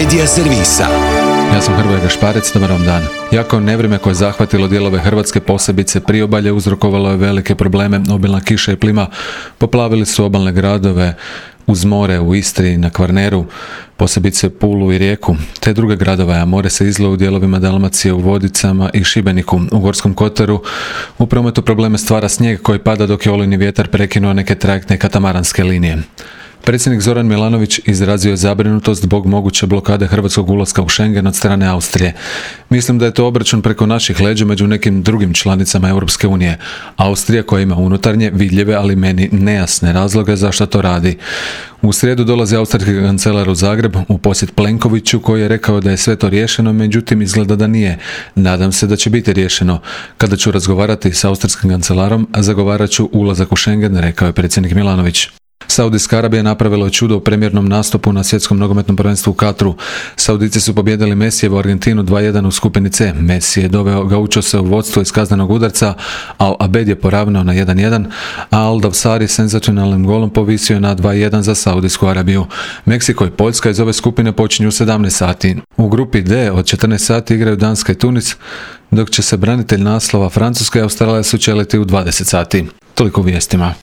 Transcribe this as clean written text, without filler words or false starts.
Medija servisa. Ja sam Hrvoje Gašparec, dobar vam dan. Jako nevrijeme koje je zahvatilo dijelove Hrvatske, posebice priobalje, uzrokovalo je velike probleme. Obilna kiša i plima poplavili su obalne gradove uz more u Istri, na Kvarneru, posebice Pulu i Rijeku, te druge gradove, a more se izlilo u dijelovima Dalmacije, u Vodicama i Šibeniku. U Gorskom kotaru u prometu probleme stvara snijeg koji pada dok je olujni vjetar prekinuo neke trajektne katamaranske linije. Predsjednik Zoran Milanović izrazio je zabrinutost zbog moguće blokade hrvatskog ulaska u Schengen od strane Austrije. Mislim da je to obračun preko naših leđa među nekim drugim članicama Europske unije. Austrija koja ima unutarnje, vidljive, ali meni nejasne razloge zašto to radi. U srijedu dolazi austrijski kancelar u Zagreb u posjet Plenkoviću koji je rekao da je sve to riješeno, međutim izgleda da nije. Nadam se da će biti riješeno. Kada ću razgovarati s austrijskim kancelarom, zagovarat ću ulazak u Schengen, rekao je predsjednik Milanović. Saudijska Arabija napravila je čudo u premijernom nastupu na svjetskom nogometnom prvenstvu u Katru. Saudici su pobijedili Messijevu Argentinu 2:1 u skupini C. Messi je doveo Gaučose u vodstvo iz kaznenog udarca, Al Abed je poravnao na 1:1, a Al Dawsari senzacionalnim golom povisio je na 2:1 za Saudijsku Arabiju. Meksiko i Poljska iz ove skupine počinju u 17 sati. U grupi D od 14 sati igraju Danska i Tunis, dok će se branitelj naslova Francuska i Australija sučeliti u 20 sati. Toliko u vijestima.